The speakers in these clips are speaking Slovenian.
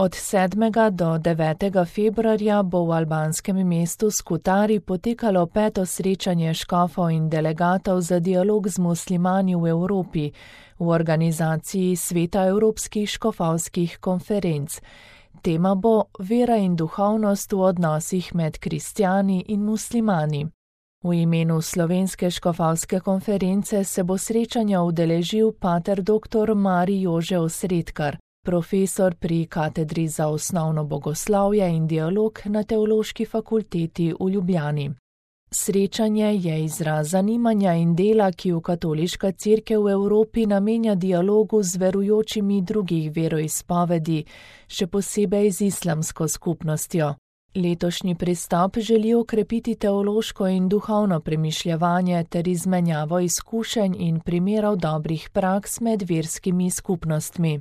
Od 7. do 9. februarja bo v albanskem mestu Skutari potekalo 5. srečanje škofov in delegatov za dialog z muslimani v Evropi v organizaciji Sveta evropskih škofovskih konferenc. Tema bo vera in duhovnost v odnosih med kristjani in muslimani. V imenu Slovenske škofovske konference se bo srečanja udeležil pater dr. Marij Jože Osredkar, profesor pri katedri za osnovno bogoslovje in dialog na Teološki fakulteti v Ljubljani. Srečanje je izraz zanimanja in dela, ki v katoliška cerkev v Evropi namenja dialogu z verujočimi drugih veroizpovedi, še posebej z islamsko skupnostjo. Letošnji pristop želi okrepiti teološko in duhovno premišljevanje ter izmenjavo izkušenj in primerov dobrih praks med verskimi skupnostmi.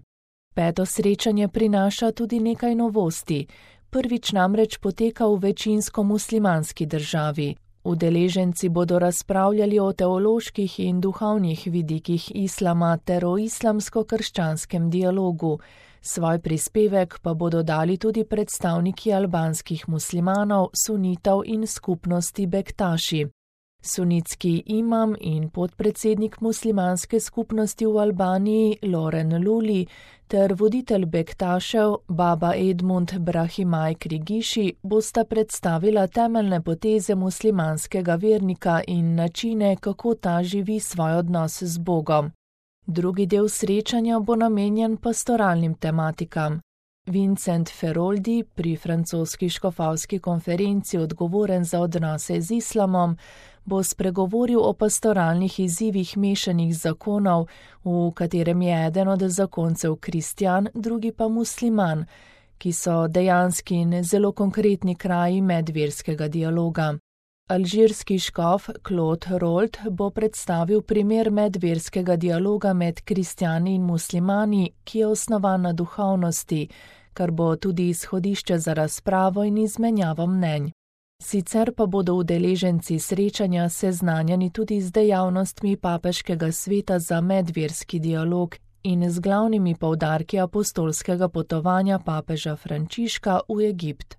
5. srečanje prinaša tudi nekaj novosti. Prvič namreč poteka v večinsko muslimanski državi. Udeleženci bodo razpravljali o teoloških in duhovnih vidikih islama ter o islamsko-krščanskem dialogu. Svoj prispevek pa bodo dali tudi predstavniki albanskih muslimanov, sunitov in skupnosti Bektaši. Sunitski imam in podpredsednik muslimanske skupnosti v Albaniji Loren Luli ter voditelj Bektašev Baba Edmund Brahimaj Krigiši bosta predstavila temeljne poteze muslimanskega vernika in načine, kako ta živi svoj odnos z Bogom. Drugi del srečanja bo namenjen pastoralnim tematikam. Vincent Feroldi, pri francoski škofovski konferenci odgovoren za odnose z islamom, bo spregovoril o pastoralnih izzivih mešanih zakonov, v katerem je eden od zakoncev kristjan, drugi pa musliman, ki so dejanski in zelo konkretni kraji medverskega dialoga. Alžirski škof Claude Rolt bo predstavil primer medverskega dialoga med kristjani in muslimani, ki je osnovan na duhovnosti, kar bo tudi izhodišče za razpravo in izmenjavo mnenj. Sicer pa bodo udeleženci srečanja seznanjeni tudi z dejavnostmi Papeškega sveta za medverski dialog in z glavnimi poudarki apostolskega potovanja papeža Frančiška v Egipt.